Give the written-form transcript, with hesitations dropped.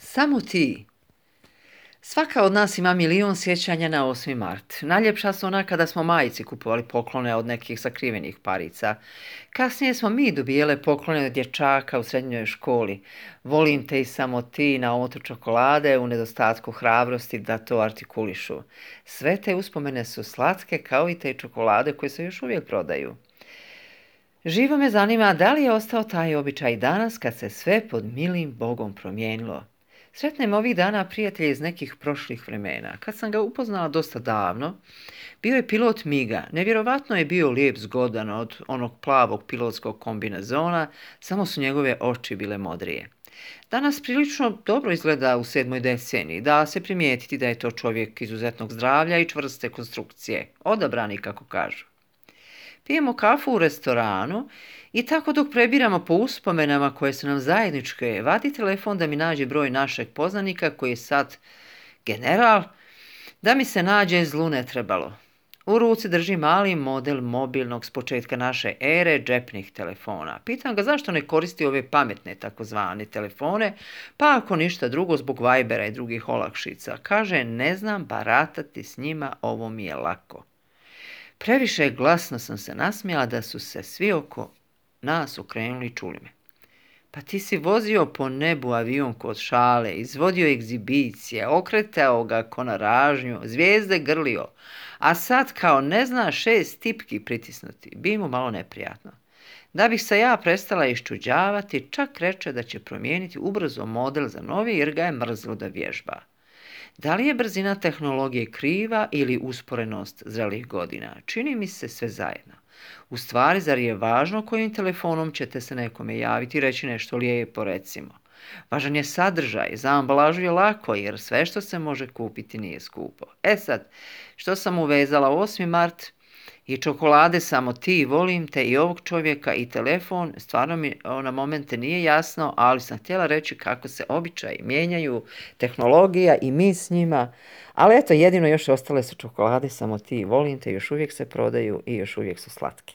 Samo ti. Svaka od nas ima milion sjećanja na 8. mart. Najljepša su ona kada smo majici kupovali poklone od nekih sakrivenih parica. Kasnije smo mi dobijele poklone od dječaka u srednjoj školi. Volim te i samo ti na omotu čokolade u nedostatku hrabrosti da to artikulišu. Sve te uspomene su slatke kao i te čokolade koje se još uvijek prodaju. Živo me zanima da li je ostao taj običaj danas kad se sve pod milim Bogom promijenilo. Sretnem ovih dana prijatelja iz nekih prošlih vremena. Kad sam ga upoznala dosta davno, bio je pilot Miga. Nevjerovatno je bio lijep, zgodan od onog plavog pilotskog kombinezona, samo su njegove oči bile modrije. Danas prilično dobro izgleda u 7. deceniji, da se primijetiti da je to čovjek izuzetnog zdravlja i čvrste konstrukcije, odabrani kako kažu. Pijemo kafu u restoranu i tako dok prebiramo po uspomenama koje su nam zajedničke, vadi telefon da mi nađe broj našeg poznanika koji je sad general, da mi se nađe zlu ne trebalo. U ruci drži mali model mobilnog s početka naše ere džepnih telefona. Pitam ga zašto ne koristi ove pametne takozvane telefone, pa ako ništa drugo zbog Vibera i drugih olakšica. Kaže, ne znam baratati s njima, ovo mi je lako. Previše glasno sam se nasmijala da su se svi oko nas okrenuli i čuli me. Pa ti si vozio po nebu avionku od šale, izvodio egzibicije, okretao ga ko na ražnju, zvijezde grlio, a sad kao ne zna 6 tipki pritisnuti, bi mu malo neprijatno. Da bih se ja prestala iščuđavati, čak reče da će promijeniti ubrzo model za novi jer ga je mrzlo da vježba. Da li je brzina tehnologije kriva ili usporenost zrelih godina? Čini mi se sve zajedno. U stvari, zar je važno kojim telefonom ćete se nekome javiti i reći nešto lijepo, recimo? Važan je sadržaj, za ambalažu je lako jer sve što se može kupiti nije skupo. Sad, što sam uvezala 8. mart i čokolade samo ti, volim te i ovog čovjeka i telefon, stvarno mi na momente nije jasno, ali sam htjela reći kako se običaji mijenjaju, tehnologija i mi s njima, ali eto jedino još ostale su čokolade samo ti, volim te, još uvijek se prodaju i još uvijek su slatke.